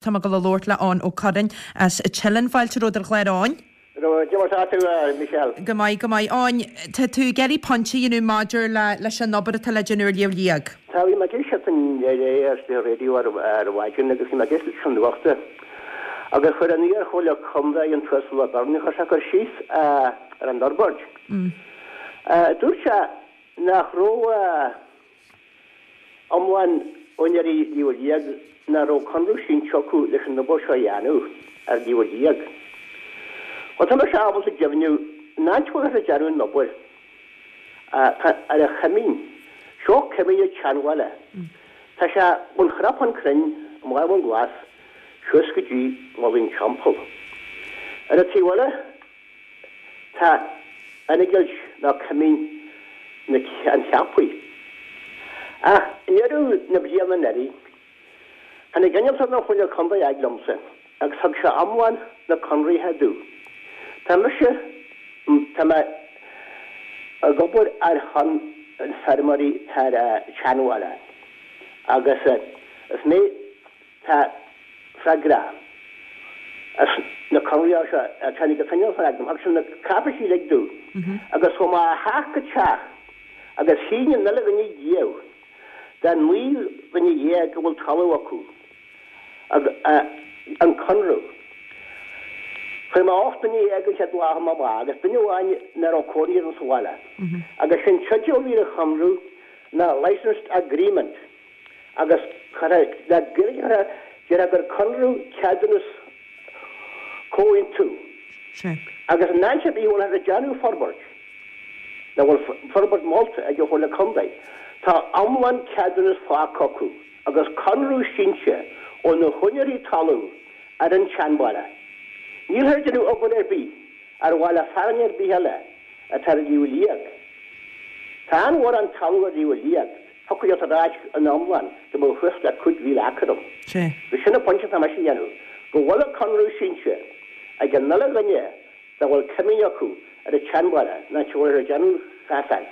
Tá mé ag dul a labhairt le Eoin Ó Curráin as Teileann. Fáilte romhat ar an chlár a Eoin. Cad é mar tá tú, a Michelle? Go maith, go maith. Eoin, tá tú ag iarraidh pointe a dhéanamh maidir le leis an obair atá le déanamh ar Shliabh Liag. Tá, bhí mé ag éisteacht inné ar an raidió ar maidin agus bhí mé ag éisteacht leis an nuachta agus chuir an iar-chomhairleoir contae an tUasal O'Byrne, chuir sé cur síos ar an fhorbairt. Dúirt sé nach raibh iomlán úinéirí Shliabh Liag nach raibh conradh sínte acu leis an obair seo a dhéanamh ar Shliabh Liag. Bhuel, tá mise ábalta deimhniú an áit a bhfuil ag déanamh an obair tá ar an choimín. Seo coimín an tSeanbhaile. Tá sé ón Chnapán Crainn i mBaile Abhainn Glas suas go dtí Mullach an Teampaill. Ar an taobh eile Tá innigilt nó coimín na an Cheapaigh. Ach i ndeireadh na bliana anuraidh, tháinig innealtóir na Comhairle Contae a fhad liomsa agus thug sé iomlán na conraithe domh. Tá mise, tá mé ag obair ar shon na feirmeoirí atá ar an tSeanbhaile agus is mé Tá freagrach as na conraí seo. Tháinig an t-innealtóir agam thug sé na cáipéisí uilig domh agus chuaigh mé ó theach go teach agus shínigh an uile dhuine díobh den 19 dhuine a bhfuil talamh acu an conradh. Chuir mé 18 nduine an chéad lá amach agus duine amháin nach raibh cónaí air sa bhaile agus sin teideal a bhí ar an chonradh ná Licensed Agreement. Agus chuirfeadh le Gaeilge déarfá gur conradh, ceadúnas, comhaontú. Agus in áit ar bith a bhfuil ag déanamh forbairt, nó a bhfuil forbairt molta ag an Chomhairle Contae, tá iomlán ceadúnas faighte acu agus conradh sínte ó na húinéirí talún ar an tSeanbhaile. Nílthear ag déanamh obair ar bith ar bhaile fearainn ar bith eile atá ar Shliabh Liag. Tá an-mhórán talamh ar Shliabh Liag, thiocfadh leat a ráit in iomlán go mbeadh suas le 5,000 acre ann. Agus sin an pointe atá mise a dhéanamh, go bhfuil an conradh sínte ag an uile dhuine dá bhfuil coimín acu ar an tSeanbhaile an áit a bhfuil ag déanamh chasáin.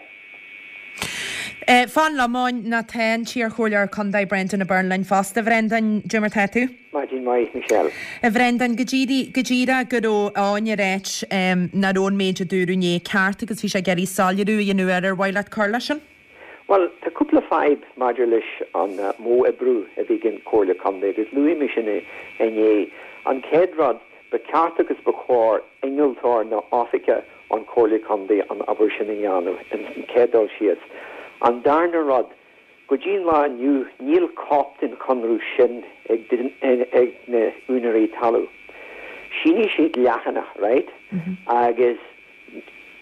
Fan liom, a Eoin, nó tá an t-iarchomhairleoir contae Brendan O'Byrne linn fosta. A Bhrendáin, cad é mar tá tú? Maidin mhaith, Michelle. A Bhrendáin, go díreach, go díreach go raibh Eoin ag ráit nach raibh an méid a dúradh inné ceart agus bhí sé ag iarraidh soiléiriú a dhéanamh air. Ar mhaith leat cur leis sin? Bhuel, tá cúpla fadhb maidir leis an modh oibriú a bhí ag an Chomhairle Contae agus luaigh mé sin inné. An chéad rud, ba cheart agus ba chóir innealtóir nó oifigeach ón Chomhairle Contae an obair sin a dhéanamh, an chéad dul síos. An darna rud, go dtí an lá inniu níl cóip den chonradh sin ag na úinéirí talún. Shínigh siad leathanach, right? Agus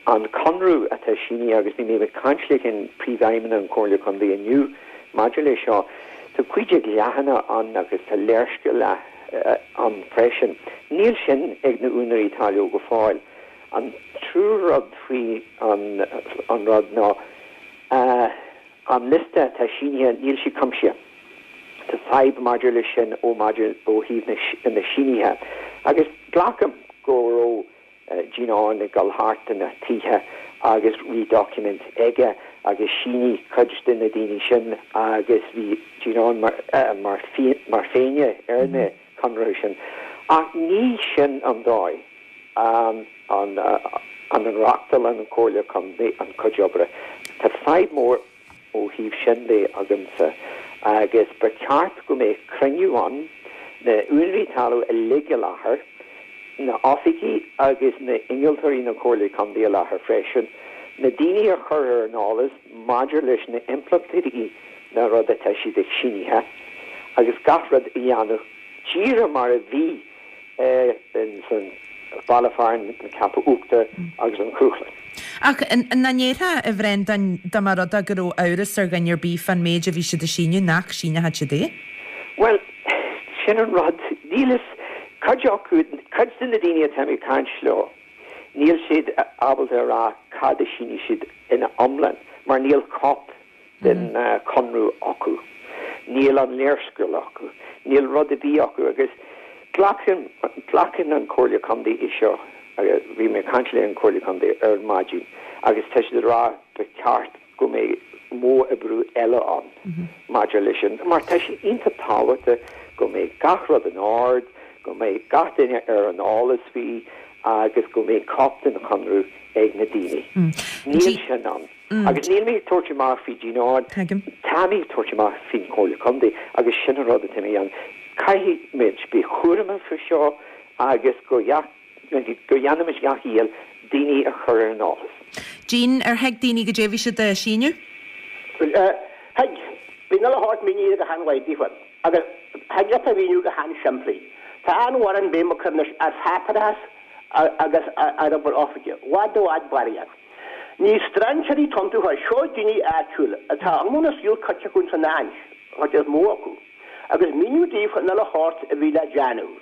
an conradh atá sínithe, agus bhí mé ag caint leis an Príomhfheidhmeannach an Chomhairle Contae inniu maidir leis seo, tá 15 leathanach ann agus tá léarscáil ann freisin. Níl sin ag na úinéirí talún go fóill. An triú rud faoi an rud ná an liosta atá sínithe, níl sé cuimsithe. Tá fadhb maidir leis sin ó maidir ó thaobh na sínithe. Agus glacaim go raibh Gene Eoghain ag dul thart do na tithe agus bhí doiciméid aige agus shínigh cuid de na daoine sin agus bhí Gene Eoghain mar mar fhinné ar na conarthaí sin. Ach ní sin an dóigh a a reáchtálann an Chomhairle Contae an cuid oibre. Tá fadhb mór ó thaobh sin de agamsa agus ba cheart go mbeadh cruinniú ann, na úinéirí talún uilig i láthair, na oifigigh agus na innealtóirí na Comhairle Contae i láthair freisin, na daoine a chur ar an eolas maidir leis na impleachtaí na rud atá siad ag sínithe agus gach rud a dhéanamh díreach mar a bhí ins an baile fearainn na Ceaptha Uachtair agus an Chrúchlann. Ach nach ndéarfá, a Bhrendáin, dá mba rud é go raibh amhras ar dhuine ar bith fán méid a bhí siad a síniú, nach síneochadh siad é? Bhuel, sin an rud. Níl fhios, cuid acu, cuid de na daoine atá mé ag caint leo, níl siad ábalta a rá cad a shínigh siad ina iomlán mar níl cóip den chonradh acu. Níl an léarscáil acu. Níl rud ar bith acu agus glacann, glacann an Chomhairle Contae é seo, bhí mé ag caint le an Chomhairle Contae ar maidin agus tá siad ag rá ba cheart go mbeadh. modh oibriú eile ann maidir leis sin, mar tá sé iontach tábhachtach go mbeidh gach rud in ord, go mbeidh gach duine ar an eolas faoi agus go mbeidh cóip den chonradh ag na daoine. Níl sin ann. Agus níl mé ag tabhairt amach faoi Gene Eoghain, tá mé ag tabhairt amach faoin Chomhairle Contae agus sin an rud atá mé a dhéanamh. Caithfidh muid bheith cúramach faoi seo agus go dhéanfaimid gach iallach daoine a chur ar an eolas. Gene, ar thuig daoine goidé a bhí siad a síniú? Thuig. Bhí an uile shórt mínithe go han-mhaith daofa. Agus thig leat a mhíniú go han-simplí. Tá an-mhórán béim á cur anois ar pháipéarachas agus ar obair oifige. I bhfad i bhfad barraíocht. Ní strainséirí atá iontu, seo daoine áitiúil atá iomlán a saol caite acu ins an áit, an chuid is mó acu, agus míniú daofa an uile shórt a bhí le déanamh.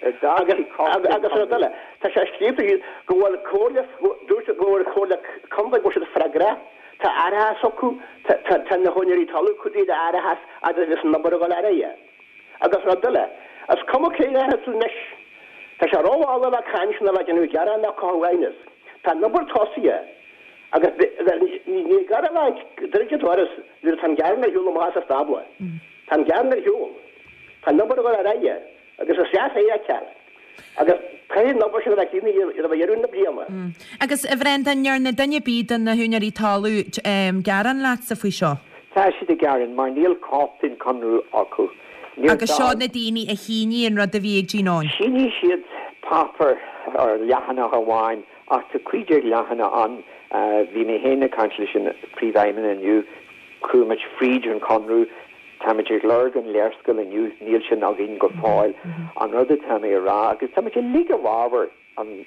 Agus agus rud eile, tá sé scríofa thíos go bhfuil comhairle, dúirt go bhfuil comhairle contae go bhfuil siad freagrach, tá árachas acu, tá tá na húinéirí talaimh cumhdaithe le árachas agus bhí an obair ag dul ar aghaidh. Agus rud eile, is cuma cé dhéanfaidh tú anois, tá sé rómhall le caint ná le déanamh gearán ná cothú aighneas. Tá an obair tosaithe agus ní gar a bheith ag druid an doras nuair atá an gearán ar shiúl amach as an stábla. Tá an gearán ar shiúl. Tá an obair ag dul ar aghaidh. Agus is deas é a fheiceáil. Agus caithfidh an obair sin a bheith críochnaithe roimh dheireadh na bliana. Agus, a Bhrendan, ndearna duine ar bith de na húinéirí talaimh gearán leatsa faoi seo? Tá siad ag gearán mar níl cóip den chonradh acu. Níl Agus seo na daoine a shínigh an rud a bhí ag Gene Eoghain? Shínigh siad páipéar ar leathanach amháin ach tá 15 leathanach ann. Bhí mé féin ag caint leis an Príomhfheidhmeannach inniu. Chuaigh muid fríd an chonradh. Táimid ag lorg an léarscáil inniu, níl sin againn go fóill. An rud atá mé a rá, agus táimid uilig i bhfabhar an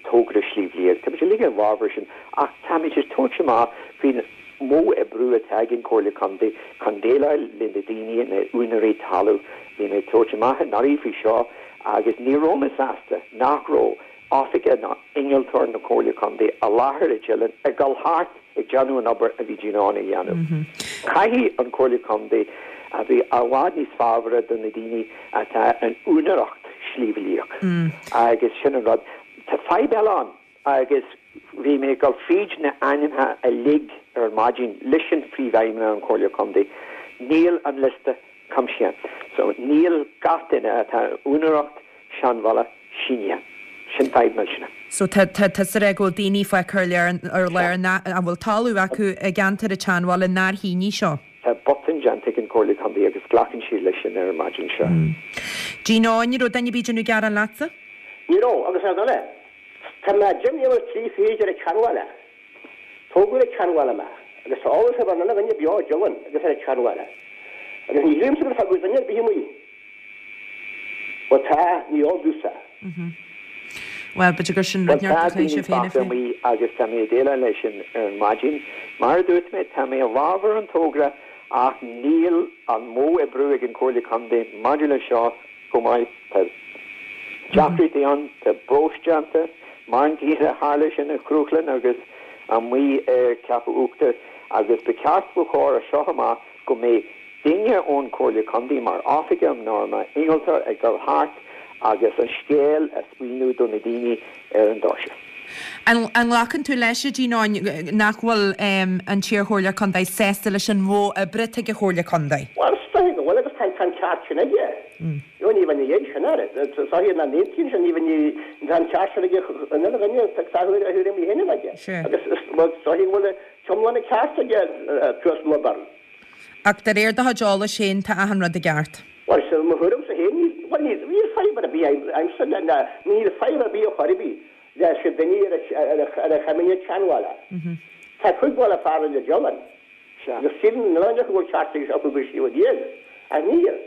togra Sliabh Liag, táimid uilig i bhfabhar sin, ach táimid ag tabhairt amach faoin modh oibriú atá ag an Chomhairle Contae chun déileáil le na daoine, na úinéirí talaimh. Bhí mé ag tabhairt amach anuraidh faoi seo agus ní raibh mé sásta nach raibh oifigeach ná innealtóir na Comhairle Contae i láthair i Dillon ag dul thart ag déanamh an obair a bhí Gene Eoghain a dhéanamh. Caithfidh an Chomhairle Contae a bheith i bhfad níos fabhraí do na daoine atá in úinéireacht Sliabh Liag agus sin an rud. Tá fadhb eile ann agus bhí mé ag dul fríd na ainmneacha uilig ar an maidin leis an Phríomhfheidhmeannach an Chomhairle Contae. Níl an liosta cuimsithe. So níl gach duine atá in úinéireacht Seanbhaile sínithe. Sin fadhb millteanach. So tá tá tusa ag rá go bhfuil daoine fágtha ar lár ar lár nach a bhfuil talamh acu i gceantar an tSeanbhaile nár shínigh seo. Tá botún déanta ag an Chomhairle Contae agus glacann siad leis sin ar an maidin seo. Gene Eoghain, an raibh duine ar bith ag déanamh gearán leatsa? Ní raibh, agus ar ndóigh, tá mé 10 mbliana is 3 fichid ar an tSeanbhaile. Tógadh ar an tSeanbhaile mé, agus tá eolas ar an uile dhuine beo i Dillon agus ar an tSeanbhaile. Agus ní shílimse gur fágadh duine ar bith amuigh. Bhuel tá, ní eol domhsa. Bhuel, b'fhéidir gur sin rud Bhuel, tá daoine fágtha amuigh agus tá mé ag déileáil leis sin ar an maidin. Mar a dúirt mé, tá mé i bhfabhar an togra ach níl an modh oibriú ag an Chomhairle Contae maidir leis seo chomh maith. Tá deacrachtaí ann, tá próis déanta, mar an gcéanna a tharla sin i Cruachlainn agus amuigh ar Cheapach Uachtair agus ba cheart, ba chóir as seo amach go mbeidh duine ón Chomhairle Contae mar oifigeach nó mar innealtóir ag dul thart agus an scéal a spáineadh do na daoine ar an doirse. An nglacann tú leis, a Gene Eoghain, nach bhfuil an t-iarchomhairleoir contae sásta leis an mhodh oibre atá ag an Chomhairle Contae? Bhuel, is dóiche go bhfuil agus tá an ceart sin aige. Ní bheinn ina dhiaidh sin air. Is dóiche nach n-aontaíonn sé, ní bheinn, tá an ceart sin aige an uile dhuine tá a thuairimí féin aige. Agus is dóiche go bhfuil iomlán an ceart aige t-uasal Ó Beirn. Ach de réir do chuid eolais féin, tá achan rud i gceart. Bhuel, is mo thuairimse féin, níl, bhuel, níl, níl fadhb ar bith agamsa le, le, níl fadhb ar bith ar chor ar bith le sé duine ar a, ar a, ar a choimín an tSeanbhaile. Tá 5 mhíle fear le Dillon. Agus sílim an uile dhuine acu go bhfuil ceart acu go Sliabh Liag, ach níl.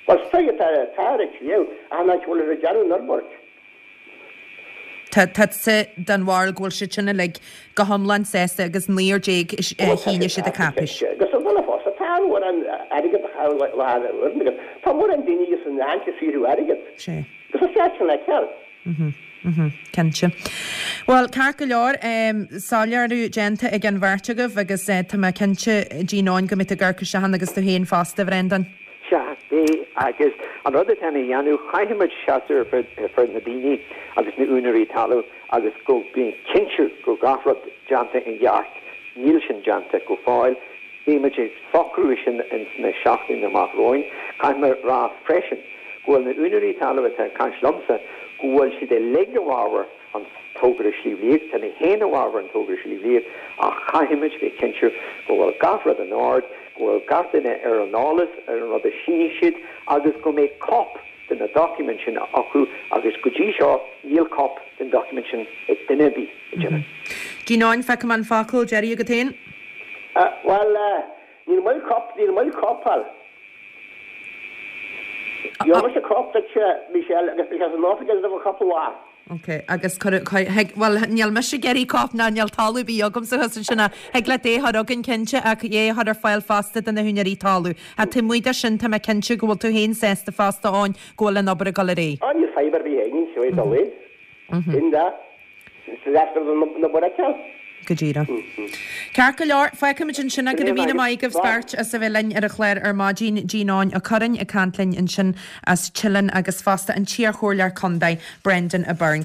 Bhuel, is dóigh atá, tá ar an tsliabh, ach an áit a bhfuil ar déanamh an fhorbairt. Tá tusa den bharúil go bhfuil siad sin uilig go hiomlán sásta agus 19 a shínigh siad an cháipéis. Agus an duine fosta, tá mórán airgead a chaitheamh le haghaidh na uaireanta agus tá mórán daoine san áit ag saothrú airgead. Agus is ceart sin a fheiceáil. Cinnte. Bhuel, ceart go leor, soiléiriú déanta ag an bheirt agaibh agus tá mé cinnte, Gene Eoghain, go mbeidh tú ag amharc isteach ann agus tú féin fosta, a Bhrendan. Sea, beidh, agus an rud atá mé a dhéanamh, chaithfidh muid seasamh ar fud na daoine agus na úinéirí talaimh agus go mbeidh cinntiú go gach rud déanta i gceart. Níl sin déanta go fóill. Beidh muid ag socrú sin ins na seachtainí amach romhainn. Caithfidh mé rá freisin go bhfuil na úinéirí talaimh atá ag caint liomsa go bhfuil siad uilig i bhfabhar an togra Sliabh Liag, tá mé féin i bhfabhar an togra Sliabh Liag ach caithfidh muid bheith cinnte go bhfuil gach rud in ord, go bhfuil gach duine ar an eolas ar an rud a shínigh siad agus go mbeidh cóip de na doiciméid sin acu agus go dtí seo níl cóip den doiciméad sin ag duine ar bith, a deirim. Gene Eoin, feicim an focal deiridh agat féin. Bhuel, níl moill cóip, níl moill cóip a fháil. Gheobhaidh mise cóip duitse, Michelle, agus beidh sé san oifig agat i gcúpla lá. Ok, agus cuir, cuir, thig, bhuel, níl mise ag iarraidh cóip ná níl talamh ar bith agamsa thuas ansin ach thig leat é a chur chugainn cinnte ach é a chur ar fáil fosta do na húinéirí talaimh. Ach taobh amuigh de sin tá mé cinnte go bhfuil tú féin sásta fosta Eoin go bhfuil an obair ag dul ar aghaidh. Á níl fadhb ar bith againn, seo é dul in. Sin da. Is deacair don obair a fheiceáil. Go díreach. Ceart go leor, fágfaimid ansin é. Go raibh míle maith agaibh beirt as a bheith linn ar an chlár ar maidin. Gene Eoin Ó Curráin ag caint linn ansin as Teileann agus fosta an t-iarchomhairleoir contae, Brendan Byrne.